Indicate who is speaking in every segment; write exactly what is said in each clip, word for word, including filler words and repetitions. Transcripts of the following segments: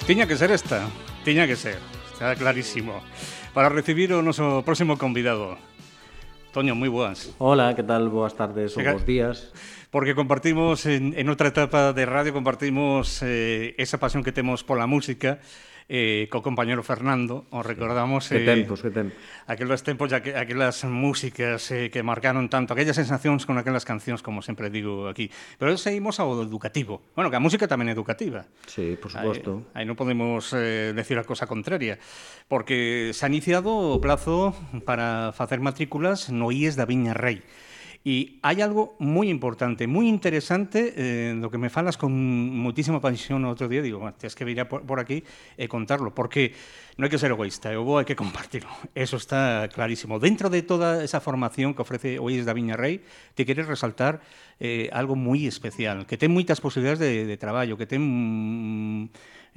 Speaker 1: Tiña que ser esta, tiña que ser, está clarísimo. Para recibir o noso próximo convidado. Toño, moi boas.
Speaker 2: Hola, que tal? Boas tardes ou bons días.
Speaker 1: Porque compartimos, en, en outra etapa de radio, compartimos eh, esa pasión que temos pola música, eh, co compañero Fernando, os recordamos...
Speaker 2: Eh, que tempos, que tempos.
Speaker 1: Aqueles tempos, aqu aquelas músicas eh, que marcaron tanto, aquellas sensacións con aquelas cancións, como sempre digo aquí. Pero seguimos ao educativo. Bueno, que a música tamén é educativa.
Speaker 2: Sí, por suposto.
Speaker 1: Aí, aí non podemos eh, decir a cosa contraria, porque se ha iniciado o plazo para facer matrículas no I E S da Viña Rei. E hai algo moi importante, moi interesante, eh, do que me falas con moitísima pasión o outro día, digo, tens que vir por, por aquí e contarlo, porque non hai que ser egoísta, o bo hai que compartirlo, eso está clarísimo. Dentro de toda esa formación que ofrece o I E S da Viña Rei, te queres resaltar eh, algo moi especial, que ten moitas posibilidades de, de traballo, que ten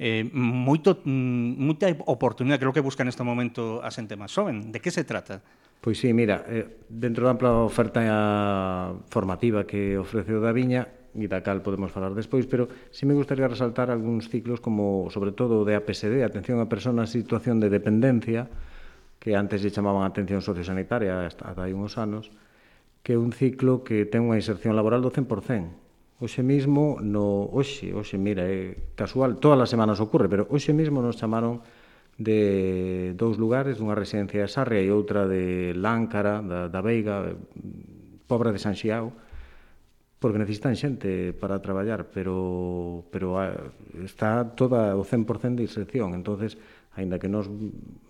Speaker 1: eh, moito, moita oportunidade, que é o que busca neste momento a xente máis xoven. De que se trata?
Speaker 2: Pois sí, mira, eh, dentro da ampla oferta formativa que ofrece o da Viña, e da cal podemos falar despois, pero sí me gustaría resaltar algúns ciclos como, sobre todo, o de A P S D, Atención a Personas en Situación de Dependencia, que antes lle chamaban Atención Sociosanitaria, hasta hai uns anos, que é un ciclo que ten unha inserción laboral do cen por cen. Hoxe mismo, no, hoxe, hoxe, mira, é casual, todas as semanas ocurre, pero hoxe mismo nos chamaron de dous lugares, dunha residencia de Sarria e outra de Láncara, da, da Veiga, Pobra de San Xiao, porque necesitan xente para traballar, pero, pero está toda o cen por cen de inserción. Entonces, aínda que nos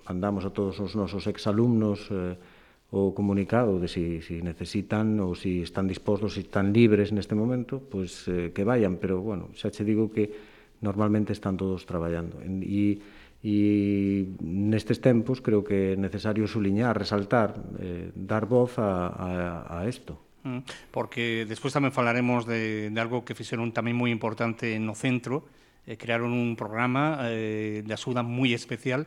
Speaker 2: mandamos a todos os nosos exalumnos eh, o comunicado de si, si necesitan ou si están dispostos, si están libres neste momento, pois eh, que vayan, pero, bueno, xa che digo que normalmente están todos traballando. E E nestes tempos creo que é necesario suliñar, resaltar, eh, dar voz a, a, a isto.
Speaker 1: Porque despois tamén falaremos de, de algo que fixeron tamén moi importante no centro, eh, crearon un programa eh, de axuda moi especial.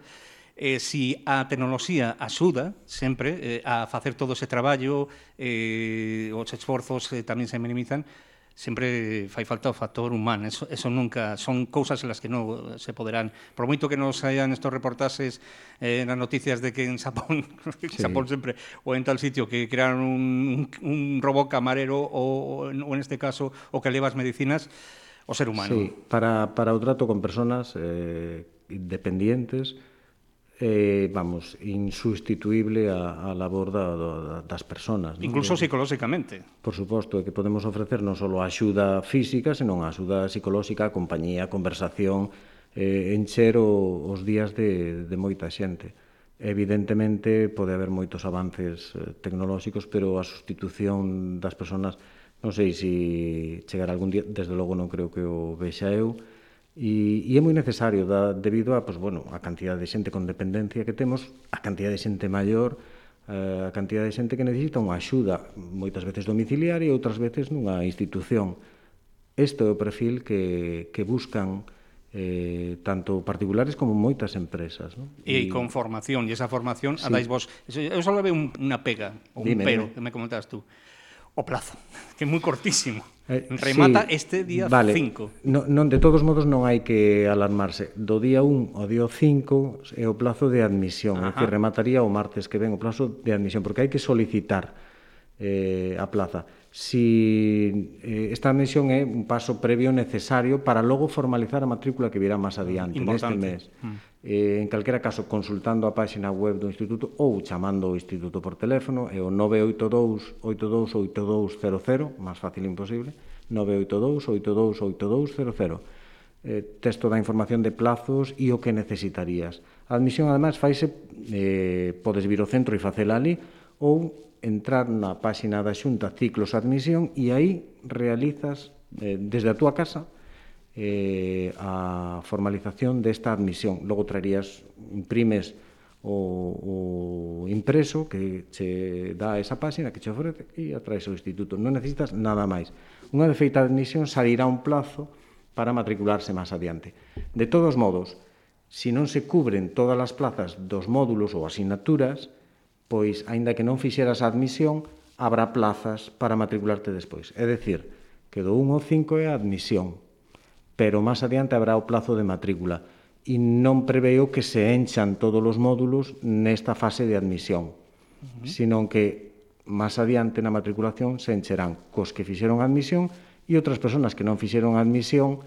Speaker 1: Eh, si a tecnoloxía axuda sempre eh, a facer todo ese traballo, eh, os esforzos eh, tamén se minimizan, sempre fai falta o factor humano, eso, eso nunca, son cousas en las que non se poderán, por moito que nos hayan estos reportases eh, nas noticias de que en Xapón, sí. Xapón sempre, ou en tal sitio que crearon un, un robot camarero ou, ou en este caso o que leva as medicinas, o ser humano.
Speaker 2: Sí, para, para o trato con personas eh, dependientes, eh, vamos, insustituible a, a labor da, da, das personas.
Speaker 1: Incluso
Speaker 2: ¿no?
Speaker 1: psicolóxicamente.
Speaker 2: Por suposto, que podemos ofrecer non só a axuda física, senón a axuda psicolóxica, a compañía, a conversación, eh, encher o, os días de, de moita xente. Evidentemente, pode haber moitos avances eh, tecnolóxicos, pero a sustitución das persoas, non sei se chegará algún día, desde logo non creo que o vexa eu, e, e é moi necesario, da, debido a, pues, bueno, a cantidad de xente con dependencia que temos, a cantidad de xente maior, eh, a cantidad de xente que necesita unha axuda, moitas veces domiciliaria e outras veces nunha institución. Este é o perfil que, que buscan eh, tanto particulares como moitas empresas, ¿no?
Speaker 1: E, e con formación, e esa formación sí. A dais vos. Eu só veo un, unha pega, ou un
Speaker 2: dime,
Speaker 1: pero,
Speaker 2: dime.
Speaker 1: que me comentas tú. O plazo, que é moi cortísimo.
Speaker 2: Eh,
Speaker 1: Remata
Speaker 2: sí,
Speaker 1: este día
Speaker 2: vale.
Speaker 1: cinco.
Speaker 2: No, non, de todos modos non hai que alarmarse. Do día un ao día cinco é o plazo de admisión, é que remataría o martes que ven o plazo de admisión, porque hai que solicitar eh, a plaza. Si eh, esta admisión é un paso previo necesario para logo formalizar a matrícula que virá máis adiante, neste mes. Mm. Eh, en calquera caso, consultando a página web do Instituto ou chamando ao Instituto por teléfono, é o nove oito dous, oito dous oito dous cero cero, máis fácil imposible, nove oito dous, oito dous oito dous cero cero. Eh, texto da información de plazos e o que necesitarías. A admisión, además, faise, eh, podes vir ao centro e facela ali, ou entrar na páxina da Xunta Ciclos Admisión e aí realizas eh, desde a túa casa eh, a formalización desta admisión. Logo traerías, imprimes o, o impreso que che dá esa páxina que che ofrece e a traes ao instituto. Non necesitas nada máis. Unha vez feita a admisión, salirá un plazo para matricularse máis adiante. De todos modos, se non se cubren todas as plazas dos módulos ou asignaturas, pois, aínda que non fixeras a admisión, habrá plazas para matricularte despois. É dicir, que do un ao cinco é a admisión, pero máis adiante habrá o plazo de matrícula. E non preveo que se enchan todos os módulos nesta fase de admisión, uh-huh. Senón que máis adiante na matriculación se encherán cos que fixeron a admisión e outras persoas que non fixeron a admisión,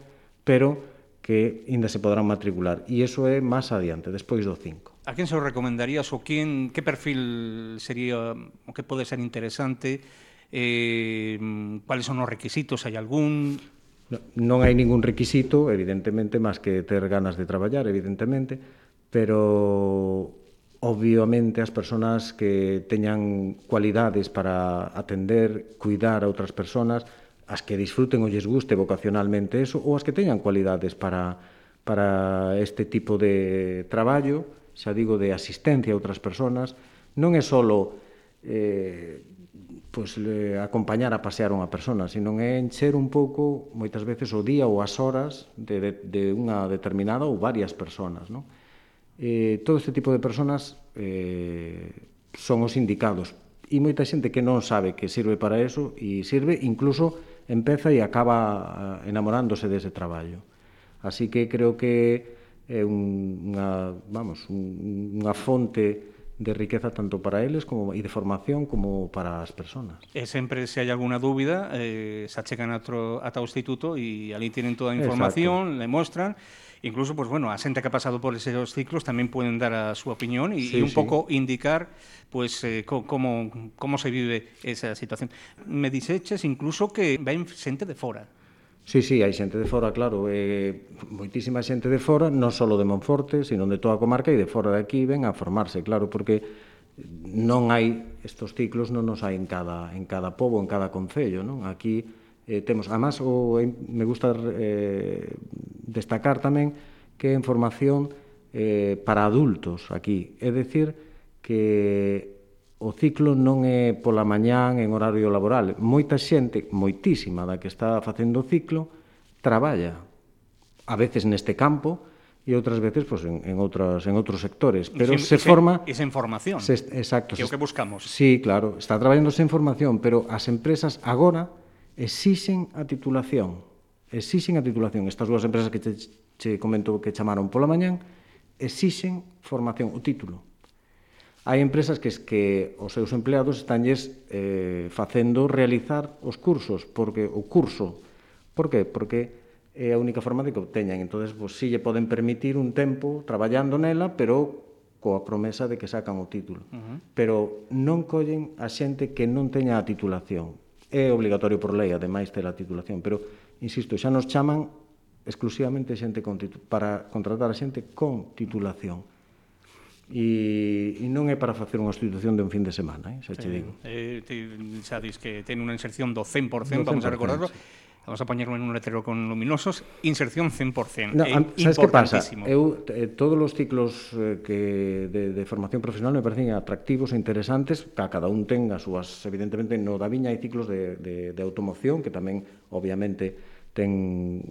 Speaker 2: pero que ainda se poderán matricular. E iso é máis adiante, despois do cinco.
Speaker 1: A quen se o recomendarías ou quen, que perfil sería o que pode ser interesante? Eh, cuáles son os requisitos? Hai algún?
Speaker 2: No, non hai ningún requisito, evidentemente, máis que ter ganas de traballar, evidentemente, pero obviamente as persoas que teñan cualidades para atender, cuidar a outras persoas, as que disfruten ou lles guste vocacionalmente eso, ou as que teñan cualidades para, para este tipo de traballo, xa digo, de asistencia a outras persoas, non é só eh, pues, eh, acompañar a pasear unha persona, sino é encher un pouco, moitas veces, o día ou as horas de, de, de unha determinada ou varias persoas, non? Eh, todo este tipo de persoas eh, son os indicados, e moita xente que non sabe que sirve para eso, e sirve, incluso empeza e acaba enamorándose dese traballo. Así que creo que é unha, vamos, unha fonte de riqueza tanto para eles como, e de formación como para as persoas.
Speaker 1: E sempre, se hai alguna dúbida, eh, se achegan ata o instituto e ali tienen toda a información, Exacto. Le mostran. Incluso, pues bueno, a xente que ha pasado por esos ciclos tamén poden dar a súa opinión e, sí, un sí. pouco indicar pues eh, co, como, como se vive esa situación. Me dixeches incluso que ven xente de fora.
Speaker 2: Sí, sí, hai xente de fora, claro, eh, moitísima xente de fora, non só de Monforte, sino de toda a comarca e de fora de aquí ven a formarse, claro, porque non hai, estos ciclos non nos hai en cada, en cada pobo, en cada concello, non? Aquí eh, temos, además, o, me gusta eh, destacar tamén que é en formación eh, para adultos aquí, é dicir, que o ciclo non é pola mañán en horario laboral. Moita xente, moitísima da que está facendo o ciclo, traballa, a veces neste campo e outras veces pues, en, en, outras, en outros sectores. Pero
Speaker 1: se,
Speaker 2: se forma...
Speaker 1: Esa información,
Speaker 2: se, exacto,
Speaker 1: que é o que buscamos.
Speaker 2: Sí, claro, está traballando esa información, pero as empresas agora exixen a titulación. Exixen a titulación. Estas dúas empresas que che, che comento que chamaron pola mañán, exixen formación, o título. Hai empresas que, que os seus empleados estánlles eh, facendo realizar os cursos, porque o curso, por que? Porque é a única forma de que obteñan. Entón, pues, si lle poden permitir un tempo traballando nela, pero coa promesa de que sacan o título. Uh-huh. Pero non collen a xente que non teña a titulación. É obligatorio por lei, ademais, ter a titulación, pero, insisto, xa nos chaman exclusivamente xente con para contratar a xente con titulación. E, e non é para facer unha sustitución de un fin de semana, eh, xa che digo.
Speaker 1: Eh, te, xa dis que ten unha inserción do cen por cen, vamos a recordarlo. Sí. Vamos a poñerlo en un letrero con luminosos, inserción cen por cen.
Speaker 2: No, é sabes que pasa? Eu, eh, todos os ciclos eh, que de, de formación profesional me parecen atractivos e interesantes, que cada un ten as súas, evidentemente, no da Viña hai ciclos de, de, de automoción, que tamén, obviamente, ten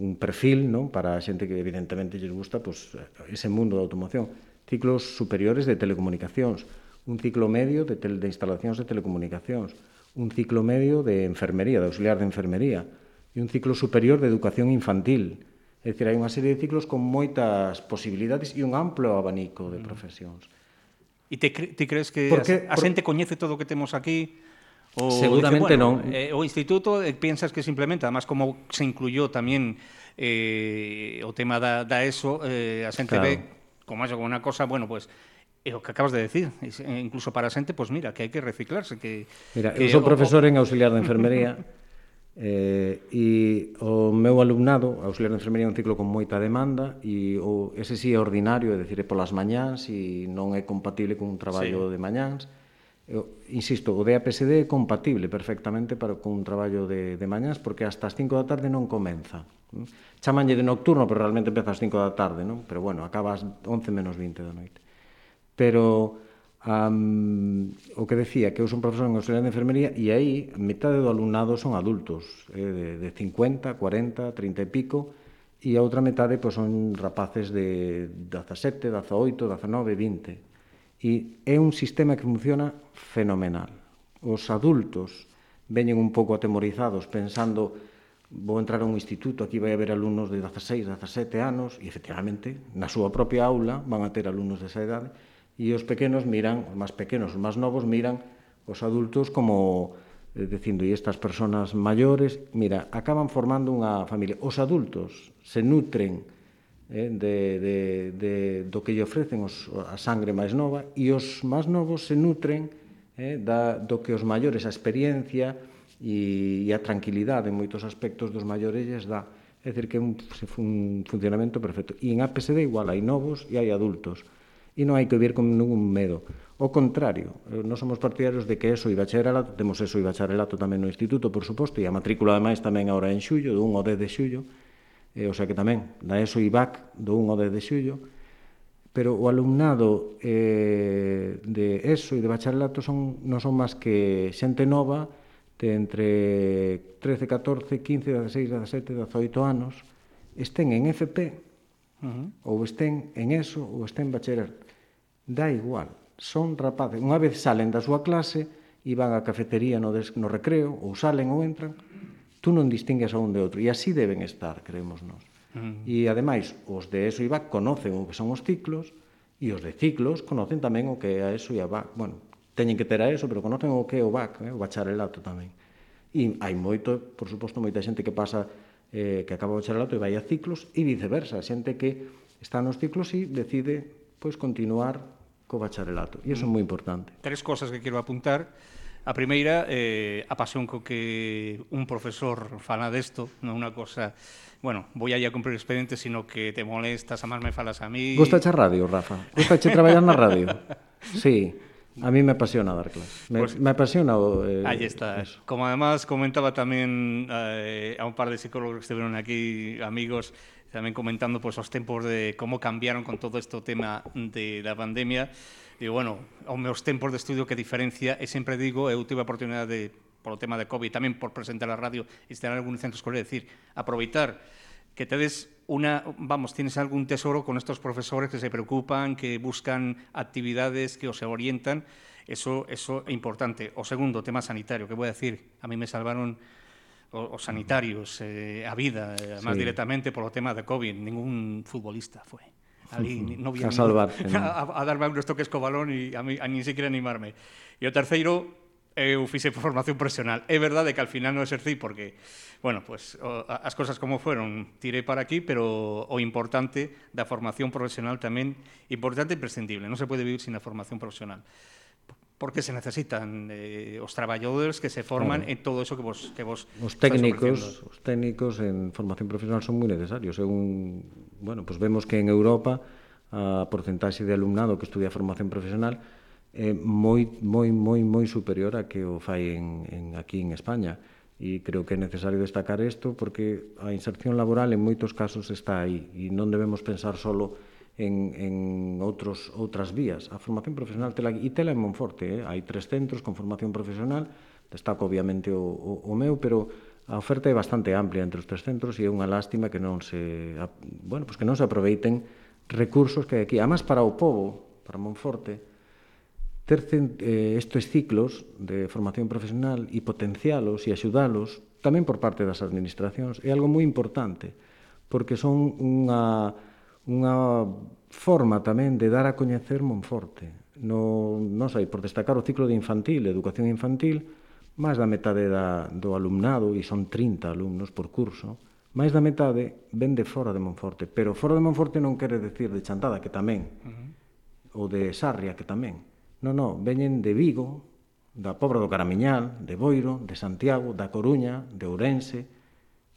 Speaker 2: un perfil, non, para a xente que, evidentemente, lles gusta pues, ese mundo da automoción. Ciclos superiores de telecomunicacións, un ciclo medio de, tel, de instalacións de telecomunicacións, un ciclo medio de enfermería, de auxiliar de enfermería, e un ciclo superior de educación infantil. É dicir, hai unha serie de ciclos con moitas posibilidades e un amplo abanico de profesións.
Speaker 1: E te, cre te crees que Porque, a, a xente coñece todo o que temos aquí?
Speaker 2: O seguramente
Speaker 1: dice, bueno,
Speaker 2: non.
Speaker 1: Eh, o instituto eh, piensas que simplemente, además como se incluyó tamén eh, o tema da, da ESO, eh, a xente claro. ve como eso, como unha cosa, bueno, pues é o que acabas de decir, incluso para a xente, pues mira, que hai que reciclarse, que
Speaker 2: Mira,
Speaker 1: que
Speaker 2: eu sou profesor o, en auxiliar de enfermería. Eh, e o meu alumnado, auxiliar de enfermería, é un ciclo con moita demanda e o, ese sí é ordinario, é dicir, é polas mañáns e non é compatible con un traballo sí. de mañáns. Eu, insisto, o D A P S D é compatible perfectamente para, con un traballo de, de mañáns porque hasta as cinco da tarde non comeza. Chamanlle de nocturno, pero realmente empeza ás cinco da tarde, non? Pero bueno, acaba ás once menos vinte da noite. Pero um, o que decía, que eu son profesor en auxiliar de enfermería e aí metade do alumnado son adultos, eh, de, de cincuenta, cuarenta, trinta e pico, e a outra metade pues, son rapaces de dezasete, dezaoito, dezenove, vinte. E é un sistema que funciona fenomenal. Os adultos veñen un pouco atemorizados pensando vou entrar a un instituto, aquí vai haber alumnos de dezaseis, dezasete anos e efectivamente na súa propia aula van a ter alumnos desa idade e os pequenos miran, os máis pequenos, os máis novos miran os adultos como eh, dicindo, e estas persoas maiores, mira, acaban formando unha familia. Os adultos se nutren eh, de, de, de, do que lle ofrecen os, a sangre máis nova e os máis novos se nutren eh, da, do que os maiores, a experiencia e, e a tranquilidade en moitos aspectos dos maiores lles dá. É dicir, que é un, un funcionamento perfecto. E en A P S D igual, hai novos e hai adultos. E non hai que vir con ningún medo. O contrario, nós somos partidarios de que ESO e bacharelato, temos ESO e bacharelato tamén no instituto, por suposto, e a matrícula ademais tamén agora en xullo, do un ao dez de xullo, eh, o sea que tamén, da ESO e B A C, do un ao dez de xullo, pero o alumnado eh, de ESO e de bacharelato son, non son máis que xente nova, de entre trece, catorce, quince, dezasseis, dezasete, dezaoito anos, estén en F P, uh-huh. ou estén en ESO, ou estén en bacharelato. Dá igual, son rapaces. Unha vez salen da súa clase e van á cafetería no, des, no recreo, ou salen ou entran, tú non distingues a un de outro. E así deben estar, creemos nós. Uh-huh. E, ademais, os de ESO e B A C conocen o que son os ciclos, e os de ciclos conocen tamén o que é a ESO e a B A C. Bueno, teñen que ter a ESO, pero conocen o que é o B A C, eh, o bacharelato tamén. E hai moito, por suposto, moita xente que pasa, eh, que acaba o bacharelato e vai a ciclos, e viceversa, xente que está nos ciclos e decide pois, continuar co bacharelato. E iso é moi importante.
Speaker 1: Tres cosas que quero apuntar. A primeira, eh, a pasión co que un profesor fala desto, non unha cosa, bueno, vou aí a cumprir expediente, sino que te molestas, a máis me falas a mí...
Speaker 2: Gustache a radio, Rafa? Gustache traballar na radio? Sí. A mí me apasiona dar clases. Me, pues, me apasiona o...
Speaker 1: Eh, aí está. Eso. Como además comentaba tamén eh, a un par de psicólogos que estuvieron aquí, amigos, tamén comentando pues, os tempos de como cambiaron con todo este tema de, da pandemia. E, bueno, aos meus tempos de estudio que diferencia, e sempre digo, eu tive a oportunidade de, polo tema de COVID, tamén por presentar a radio e estar en algún centro escolar, decir, aproveitar que tedes una, vamos, tienes algún tesoro con estos profesores que se preocupan, que buscan actividades, que os orientan, eso, eso é importante. O segundo, tema sanitario, que voy a decir, a mí me salvaron os sanitarios, eh, a vida, eh, más sí. directamente polo tema de COVID, ningún futbolista foi. Ali no
Speaker 2: a salvar,
Speaker 1: ningún, a, a darme uns toques co balón e a, mí, a ni siquiera animarme. E o terceiro, eu fixe por formación profesional. É verdade que al final non exercí porque, bueno, pues o, as cosas como fueron, tirei para aquí, pero o importante da formación profesional tamén, importante e imprescindible. Non se pode vivir sin a formación profesional. porque se necesitan eh, os traballadores que se forman
Speaker 2: claro.
Speaker 1: en todo eso que vos que vos
Speaker 2: Os técnicos, os técnicos en formación profesional son moi necesarios. Según, bueno, pues vemos que en Europa a porcentaxe de alumnado que estudia formación profesional é moi moi moi moi superior a que o fai en, en aquí en España. E creo que é necesario destacar isto porque a inserción laboral en moitos casos está aí e non debemos pensar solo en, en outros, outras vías. A formación profesional tela, e tela en Monforte, eh? Hai tres centros con formación profesional, destaco obviamente o, o, o meu, pero a oferta é bastante amplia entre os tres centros e é unha lástima que non se, bueno, pues que non se aproveiten recursos que hai aquí. Además, para o povo, para Monforte, ter eh, estes ciclos de formación profesional e potencialos e axudalos tamén por parte das administracións é algo moi importante porque son unha, unha forma tamén de dar a coñecer Monforte. No, non sei, por destacar o ciclo de infantil, educación infantil, máis da metade da, do alumnado, e son trinta alumnos por curso, máis da metade ven de fora de Monforte, pero fora de Monforte non quere decir de Chantada, que tamén, uh-huh. ou de Sarria, que tamén. Non, non, veñen de Vigo, da Pobra do Caramiñal, de Boiro, de Santiago, da Coruña, de Ourense,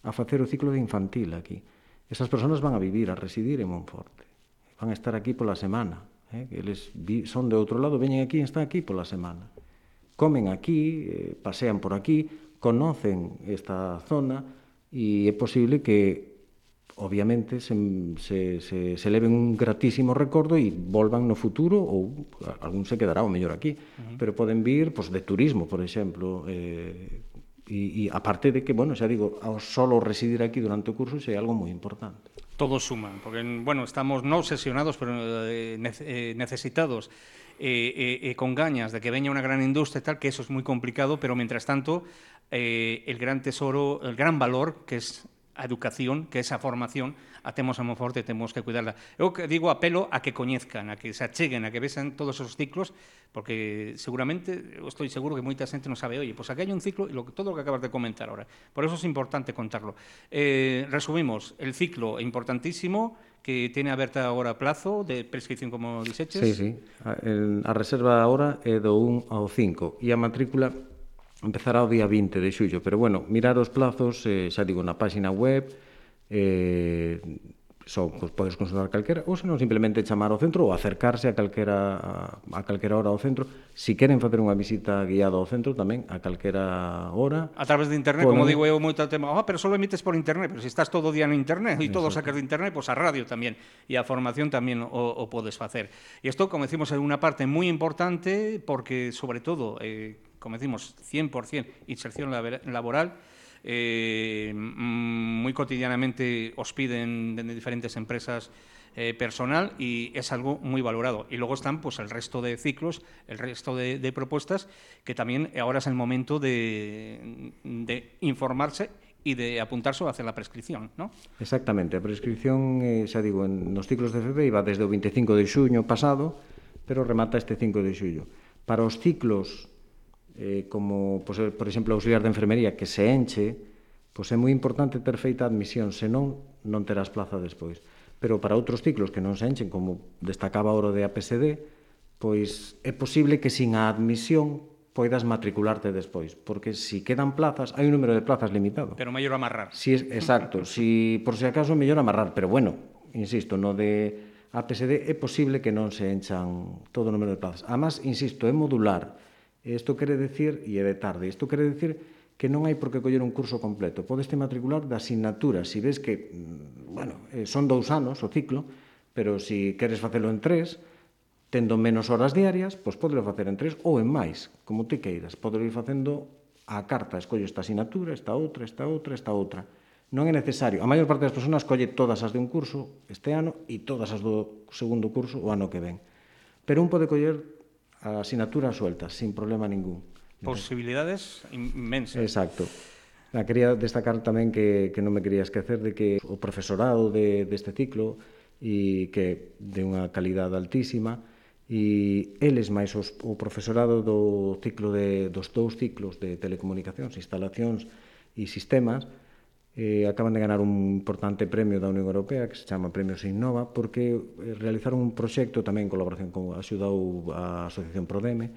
Speaker 2: a facer o ciclo de infantil aquí. Esas persoas van a vivir, a residir en Monforte. Van a estar aquí pola semana. Eh? Eles son de outro lado, veñen aquí e están aquí pola semana. Comen aquí, eh, pasean por aquí, conocen esta zona e é posible que obviamente se, se, se, se leven un gratísimo recordo e volvan no futuro ou algún se quedará o mellor aquí, uh-huh. pero poden vir pues, de turismo, por exemplo, eh, e, e aparte de que, bueno, xa digo, ao solo residir aquí durante o curso é algo moi importante.
Speaker 1: Todo suma, porque, bueno, estamos non obsesionados, pero eh, necesitados eh, eh, eh, con gañas de que veña unha gran industria e tal, que eso es moi complicado, pero, mientras tanto, eh, el gran tesoro, el gran valor que es a educación, que esa formación a temos a Monforte e temos que cuidarla. Eu que digo, apelo a que coñezcan, a que se acheguen, a que vexan todos os ciclos, porque seguramente, eu estou seguro que moita xente non sabe, oye, pois aquí hai un ciclo, e lo, todo o que acabas de comentar ahora. Por eso es importante contarlo. Eh, resumimos, el ciclo é importantísimo, que tiene aberta agora plazo de prescripción, como dixeches.
Speaker 2: Sí, sí. A, el, a reserva agora é do un ao cinco, e a matrícula empezará o día vinte de xullo, pero bueno, mirar os plazos, eh, xa digo, na página web, eh, só pues, podes consultar calquera, ou senón simplemente chamar ao centro ou acercarse a calquera, a, a calquera hora ao centro. Si queren facer unha visita guiada ao centro tamén, a calquera hora.
Speaker 1: A través de internet, poden... como digo eu, moito tema, ah, pero só emites por internet, pero se si estás todo o día no internet e todo sacas de internet, pois pues a radio tamén, e a formación tamén o, o podes facer. E isto, como decimos, é unha parte moi importante, porque, sobre todo, eh, como decimos, cien por cien inserción laboral, eh, moi cotidianamente os piden de diferentes empresas eh, personal, y es algo muy valorado. Y luego están pues el resto de ciclos, el resto de, de propuestas, que también ahora es el momento de, de informarse e de apuntarse a hacer la prescripción, ¿no?
Speaker 2: Exactamente, a prescripción, eh, xa digo, en, nos ciclos de F P iba desde o veinticinco de xuño pasado, pero remata este cinco de xullo. Para os ciclos eh, como, pues, por exemplo, auxiliar de enfermería, que se enche, pois é moi importante ter feita a admisión, senón non terás plaza despois. Pero para outros ciclos que non se enchen, como destacaba oro de A P S D, pois é posible que sin a admisión poidas matricularte despois, porque se si quedan plazas, hai un número de plazas limitado.
Speaker 1: Pero mellor amarrar.
Speaker 2: Si es, exacto, si por si acaso mellor amarrar, pero bueno, insisto, no de A P S D é posible que non se enchan todo o número de plazas. Además, insisto, é modular. Isto quere decir, e é de tarde, isto quere decir que non hai por que coller un curso completo. Podes te matricular da asignatura. Si ves que, bueno, son dous anos o ciclo, pero se si queres facelo en tres, tendo menos horas diarias, pois podelo facer en tres ou en máis, como te queiras. Podelo ir facendo a carta, escollo esta asignatura, esta outra, esta outra, esta outra. Non é necesario. A maior parte das persoas colle todas as de un curso este ano e todas as do segundo curso o ano que ven. Pero un pode coller a asignatura suelta, sin problema ningún.
Speaker 1: Posibilidades inmensas.
Speaker 2: Exacto. La quería destacar tamén que, que non me quería esquecer de que o profesorado de, deste ciclo e que de unha calidade altísima, e eles máis os, o profesorado do ciclo de, dos dous ciclos de telecomunicacións, instalacións e sistemas, eh, acaban de ganar un importante premio da Unión Europea que se chama Premio Innova, porque realizaron un proxecto tamén en colaboración con axudou a Asociación Prodeme,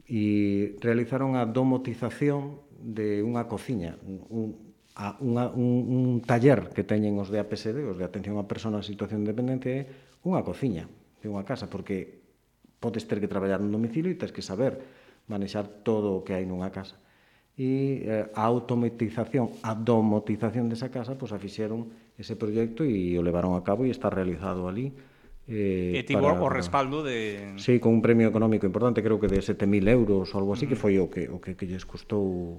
Speaker 2: e realizaron a domotización de unha cociña, un, a, unha, un, un taller que teñen os de A P S D, os de Atención a Persoas en Situación de Dependencia, é unha cociña de unha casa, porque podes ter que traballar nun domicilio e tens que saber manexar todo o que hai nunha casa. E eh, a automatización, a domotización desa casa, pois a fixeron ese proxecto e o levaron a cabo e está realizado ali.
Speaker 1: Eh, e tivo o respaldo de...
Speaker 2: Sí, con un premio económico importante, creo que de sete mil euros ou algo así, que foi o que, o que, que lles custou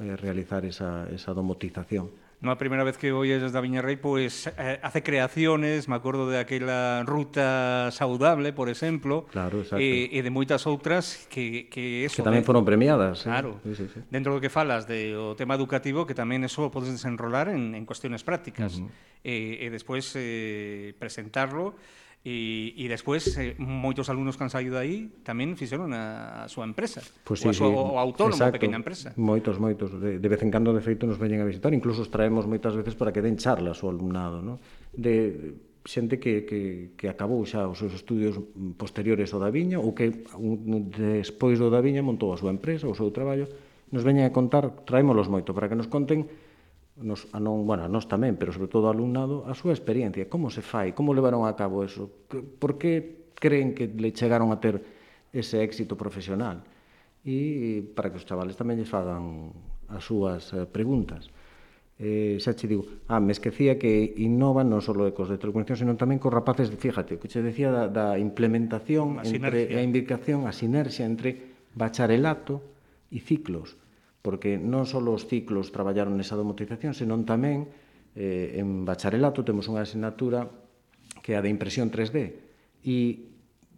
Speaker 2: eh, realizar esa, esa domotización.
Speaker 1: Non a primeira vez que oies da Viña Rei, pois eh, hace creaciones, me acordo de aquela ruta saudable, por exemplo,
Speaker 2: claro, exacto.
Speaker 1: E, e de moitas outras que, que eso...
Speaker 2: Que tamén foron premiadas.
Speaker 1: Claro,
Speaker 2: sí, sí, sí.
Speaker 1: Dentro do que falas do tema educativo, que tamén eso podes desenrolar en, en cuestiones prácticas, uh -huh. e, e despois eh, presentarlo. E, e despois, eh, moitos alumnos que han saído aí tamén fixeron a, a súa empresa,
Speaker 2: pues
Speaker 1: sí,
Speaker 2: sí,
Speaker 1: a súa,
Speaker 2: sí.
Speaker 1: o autónomo,
Speaker 2: exacto.
Speaker 1: pequena empresa.
Speaker 2: Moitos, moitos. De, de vez en cando, de feito, nos veñen a visitar. Incluso os traemos moitas veces para que den charlas ao alumnado, ¿no? De xente que, que, que acabou xa os seus estudios posteriores ao da Viña ou que un, despois do da Viña montou a súa empresa, o seu traballo. Nos veñen a contar, traémolos moito para que nos conten Nos, a non, bueno, a nós tamén, pero sobre todo ao alumnado, a súa experiencia, como se fai, como levaron a cabo eso, por que creen que le chegaron a ter ese éxito profesional, e para que os chavales tamén lles fagan as súas preguntas. Eh, xa che digo, ah, me esquecía que innovan non só ecos de telecomunicación, senón tamén cos rapaces, fíjate, que che decía da, da implementación, a entre a imbricación, a sinerxia entre bacharelato e ciclos, porque non só os ciclos traballaron nesa domotización, senón tamén eh, en bacharelato temos unha asignatura que é a de impresión tres D e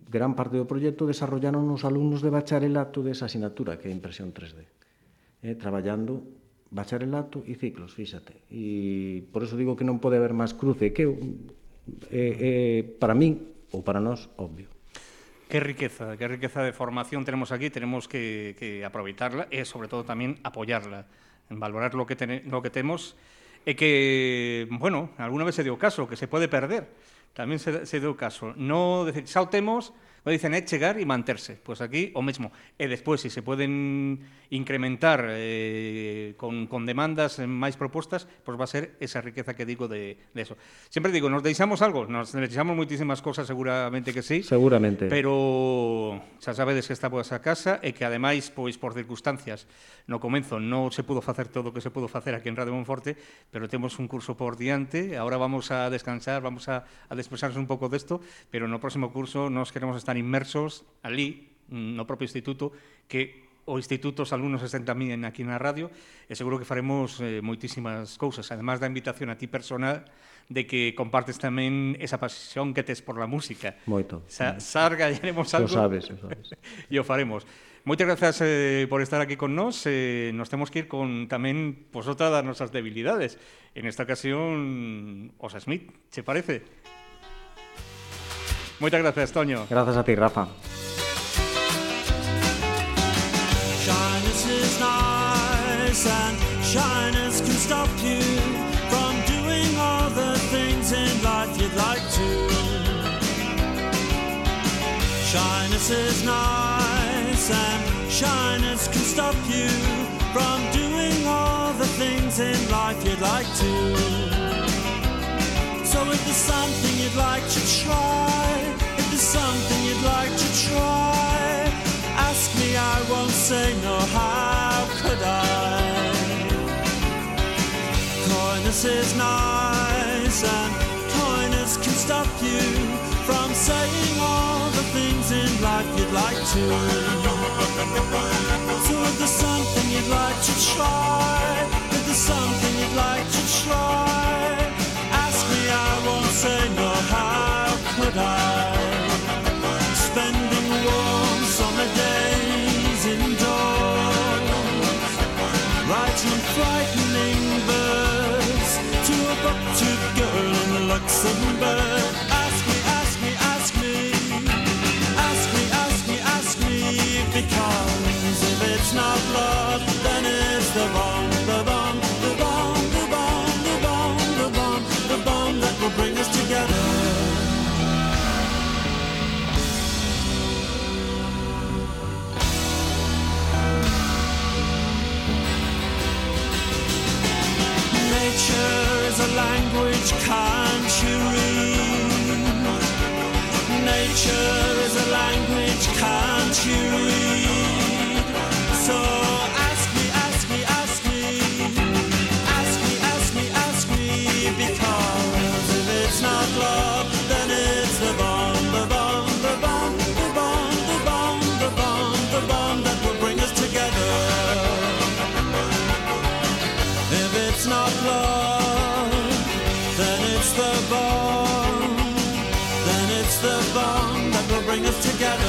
Speaker 2: gran parte do proxecto desarrollaron os alumnos de bacharelato desa asignatura que é impresión tres D, eh, traballando bacharelato e ciclos, fíxate, e por eso digo que non pode haber máis cruce, que é, é, é para min ou para nós obvio.
Speaker 1: Qué riqueza, qué riqueza de formación tenemos aquí, tenemos que, que aproveitarla e, sobre todo, tamén apoyarla, en valorar lo que, ten, lo que temos e que, bueno, alguna vez se deu caso, que se pode perder, tamén se, se deu caso. No decir, xa o temos, o dicen é chegar e manterse, pois aquí o mesmo. E despois, se se poden incrementar eh, con, con demandas máis propostas, pois va a ser esa riqueza que digo de, de eso. Sempre digo, nos deixamos algo, nos deixamos moitísimas cosas, seguramente que sí.
Speaker 2: Seguramente.
Speaker 1: Pero xa sabedes que está por esa casa e que, ademais, pois por circunstancias, no comenzo non se pudo facer todo o que se pudo facer aquí en Radio Monforte, pero temos un curso por diante, agora vamos a descansar, vamos a, a despresarnos un pouco desto, pero no próximo curso nos queremos estar inmersos ali, no propio instituto, que o instituto os alumnos estén tamén aquí na radio, e seguro que faremos eh, moitísimas cousas, además da invitación a ti personal de que compartes tamén esa pasión que tes por la música.
Speaker 2: Moito.
Speaker 1: Sa sarga, haremos algo.
Speaker 2: Lo sabes, lo sabes.
Speaker 1: E o faremos. Moitas grazas eh, por estar aquí con nós. Eh, nos temos que ir con tamén pues, outra das nosas debilidades. En esta ocasión, os Smith, che parece? Moitas gracias, Toño.
Speaker 2: Grazas a ti, Rafa.
Speaker 3: Shyness is nice and shyness can stop you from doing all the things in life you'd like to. Shyness is nice and shyness can stop you from doing all the things in life you'd like to. So if there's something you'd like to try, if there's something you'd like to try, ask me, I won't say no, how could I? Coyness is nice and coyness can stop you from saying all the things in life you'd like to. So if there's something you'd like to try, if there's something you'd like to try, ask me, I won't say no, how could I? Spending warm summer days indoors, writing frightening verse to a buck-toothed girl in Luxembourg. Ask me, ask me, ask me, ask me, ask me, ask me, because if it's not love, then it's the bomb, the bomb, the bomb, the bomb, the bomb, the bomb, the bomb that will bring us together. language can't you read? Nature is a language can't you read? So ask me, ask me, ask me, ask me, ask me, ask me, because if it's not love, then it's the bond, the bond, the bond, the bond, the bond, the bond, the bond that will bring us together. If it's not love, then it's the bond, then it's the bond that will bring us together.